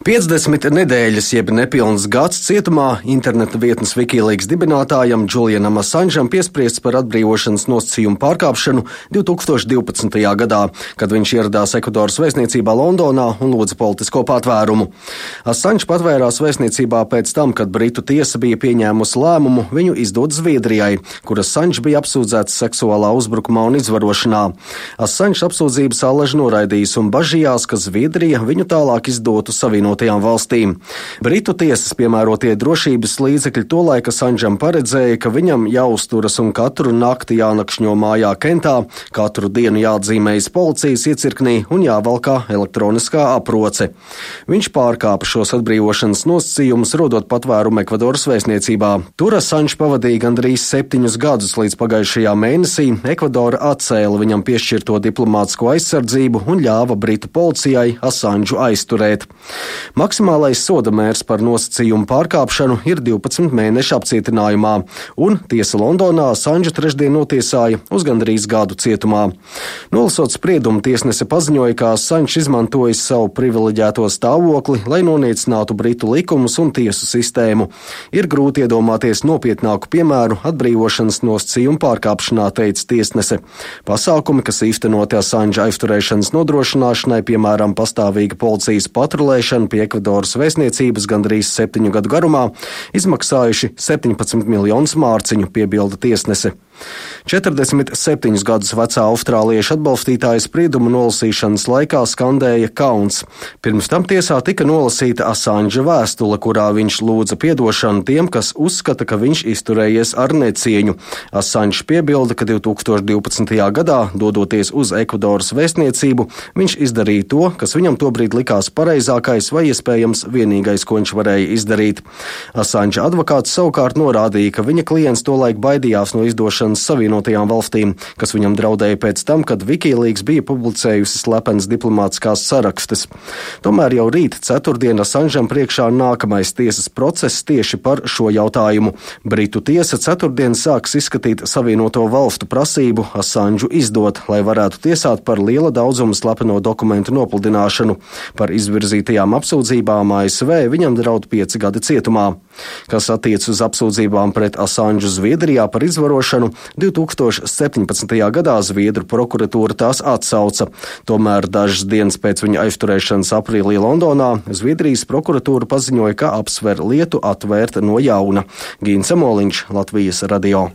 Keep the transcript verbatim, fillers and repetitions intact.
piecdesmit nedēļas, jeb nepilns gads cietumā interneta vietnes Wikileaks dibinātājam Julianam Assangeam piespriests par atbrīvošanas nosacījumu pārkāpšanu divi tūkstoši divpadsmitajā gadā, kad viņš ieradās Ekvadoras vēstniecībā Londonā un lūdza politisko patvērumu. Assange patvērās vēstniecībā pēc tam, kad Britu tiesa bija pieņēmusi lēmumu viņu izdot Zviedrijai, kur Assange bija apsūdzēts seksuālā uzbrukumā un izvarošanā. Assange apsūdzības allaž noraidījis un bažījās, ka Zviedrija viņu tālāk izdotu Savienotajām valstīm. Britu tiesas piemērotie drošības līdzekļi tolaik Assangeam paredzēja, ka viņam jāuzturas un katru nakti jānakšņo mājā Kentā, katru dienu jāatzīmējas policijas iecirknī un jāvalkā elektroniskā aproce. Viņš pārkāpa šos atbrīvošanas nosacījumus, rodot patvērumu Ekvadoras vēstniecībā. Tur Assange pavadīja gandrīz septiņus gadus, līdz pagājušajā mēnesī Ekvadora atcēla viņam piešķirto diplomātisko aizsardzību un ļāva Britu policijai Assangu aizturēt. Maksimālais soda mērs par nosacījumu pārkāpšanu ir divpadsmit mēnešu apcietinājumā, un tiesa Londonā Assangu trešdien notiesāja uz gandrīz gadu cietumā. Nolasot spriedumu, tiesnese paziņoja, ka Assange izmantojis savu privileģēto stāvokli, lai noniecinātu Britu likumus un tiesu sistēmu. Ir grūti iedomāties nopietnāku piemēru atbrīvošanas nosacījumu pārkāpšanā, teica tiesnese. Pasākumi, kas īstenoti Assange aizturēšanas nodrošināšanai, piemēram, pastāvīga policijas patrulēšana pie Ekvadoras vēstniecības gandrīz septiņu gadu garumā, izmaksājuši septiņpadsmit miljonus mārciņu, piebilda tiesnese. četrdesmit septiņus gadus vecā austrālieša atbalstītāja spriedumu nolasīšanas laikā skandēja kauns. Pirms tam tiesā tika nolasīta Assange vēstule, kurā viņš lūdza piedošanu tiem, kas uzskata, ka viņš izturējies ar necieņu. Assange piebilda, ka divi tūkstoši divpadsmitajā gadā, dodoties uz Ekvadoras vēstniecību, viņš izdarīja to, kas viņam tobrīd likās pareizākais vai iespējams vienīgais, ko viņš varēja izdarīt. Assange advokāts savukārt norādīja, ka viņa klients tolaik baidījās no izdošanas Savienotajām valstīm, kas viņam draudēja pēc tam, kad Wikileaks bija publicējusi slepenas diplomātiskās sarakstes. Tomēr jau rīt ceturtdien Assangeam priekšā nākamais tiesas process tieši par šo jautājumu. Britu tiesa ceturtdien sāks izskatīt Savienoto valstu prasību Assangu izdot, lai varētu tiesāt par liela daudzuma slepeno dokumentu nopludināšanu. Par izvirzītajām apsūdzībām A S V viņam draud pieci gadi cietumā. Kas attiec uz apsūdzībām pret Assangu Zviedrijā par izvarošanu, divi tūkstoši septiņpadsmitajā gadā Zviedru prokuratūra tās atsauca. Tomēr dažas dienas pēc viņa aizturēšanas aprīlī Londonā Zviedrijas prokuratūra paziņoja, ka apsver lietu atvērt no jauna. Gīns Samoliņš, Latvijas radio.